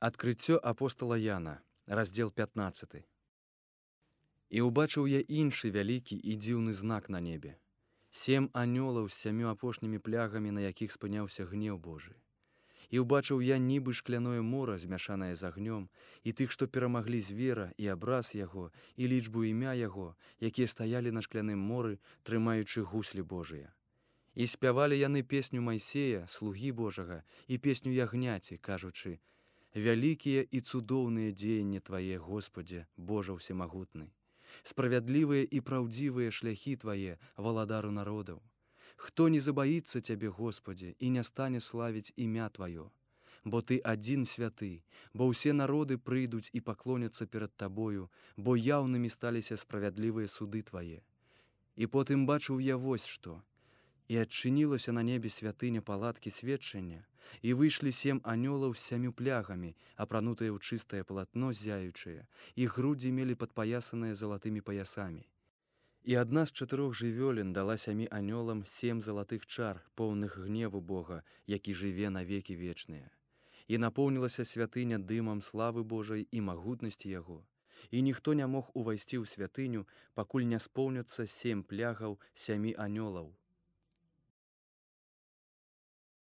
Адкрыццё апостала Яна, раздзел 15. І ўбачыў я іншы вялікі і дзіўны знак на небе. 7 анёлаў з 7 апошнімі плягамі, на якіх спыняўся гнеў Божы. І ўбачыў я нібы шкляное мора, змяшанае з агнём, і тых, што перамаглі звера, і абраз яго, і лічбу імя яго, якія стаялі на шкляным моры, трымаючы гуслі Божыя. І спявалі яны песню Майсея, слугі Божага, і песню ягняці, кажучы: «Вялікія і цудоўныя дзеянні Твае, Господзе, Божа ўсемагутны. Справядлівыя і праўдзівыя шляхі Твае, валадару народаў. Хто не забаіцца Цябе, Господзе, і не стане славіць імя Тваё? Бо Ты адзін святы, бо ўсе народы прыйдуць і паклоняцца перад Табою, бо яўнымі сталіся справядлівыя суды Твае. І потым бачыў я вось што. І адчынілася на небе святыня палаткі сведчання, і выйшлі 7 анёлаў з 7 плягамі, апранутыя ў чыстае палатно ззяючае, і грудзі мелі падпаясаныя залатымі паясамі. І адна з 4 жывёлін дала 7 анёлам 7 залатых чар, поўных гневу Бога, які жыве на векі вечныя. І напоўнілася святыня дымам славы Божай і магутнасці яго. І ніхто не мог увайсці ў святыню, пакуль не споўняцца 7 плягаў 7 анёлаў.